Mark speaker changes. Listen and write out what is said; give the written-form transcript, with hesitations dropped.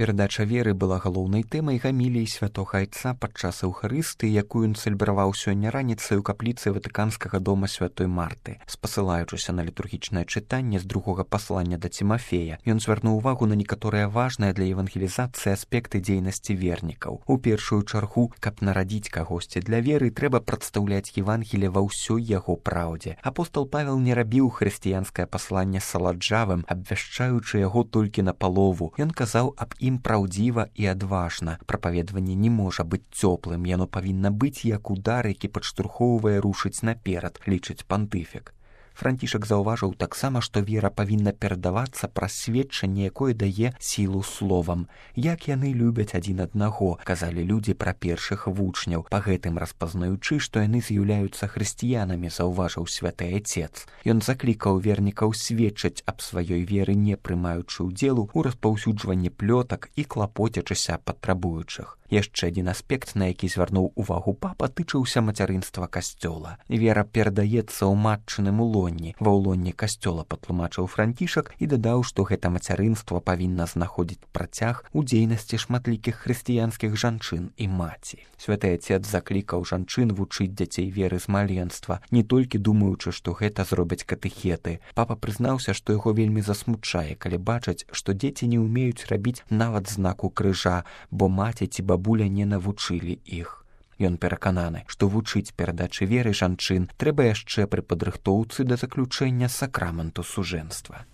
Speaker 1: Перадача веры была галоўнай тэмай гаміліі святога айца падчас эўхарыстыі, якую ён цэлебраваў сёння раніцай у капліцы Ватыканскага дома святой Марты. Спасылаючыся на літургічнае чытанне з другога паслання да Цімафея, ён звярнуў увагу на некаторыя важныя для евангелізацыі аспекты дзейнасці вернікаў. У першую чаргу, каб нарадзіць кагосьці для веры, трэба прадстаўляць Евангелие ва ўсёй яго праўдзе. Апостол Павел не рабіў хрысціянскае пасланне саладжавым, абвяшчаючы яго толькі на палову. Ён казаў аб ім праўдзіва і адважна. Прапаведванне не можа быць цёплым, яно павінна быць як удар, які падштурхоўвае рушыць наперад, лічыць пантыфік. Францішак заўважыў таксама, што вера павінна перадавацца праз сведчанне, якое дае сілу словам. Як яны любяць адзін аднаго, казалі людзі пра першых вучняў, па гэтым распазнаючы, што яны з'яўляюцца хрысціянамі, заўважыў святы айцец. Ён заклікаў вернікаў сведчыць аб сваёй веры, не прымаючы ўдзелу ў распаўсюджванні плётак і клапоцячыся патрабуючых. Яшчэ адзін аспект, на які звярнуў увагу папа, тычыўся мацярынства касцёла. Вера перадаецца ў матчыным улонні. Ва ўлонні касцёла, патлумачыў Францішак і дадаў, што гэта мацярынства павінна знаходзіць працяг у дзейнасці шматлікіх хрысціянскіх жанчын і маці. Святы айцец заклікаў жанчын вучыць дзяцей веры з маленства, не толькі думаючы, што гэта зробяць катэхеты. Папа прызнаўся, што яго вельмі засмучае, калі бачаць, што дзеці не ўмеюць рабіць нават знаку крыжа, бо маці ці бабуля не навучылі іх. Ён перакананы, што вучыць перадачы веры жанчын трэба яшчэ пры падрыхтоўцы да заключэння сакраменту сужэнства.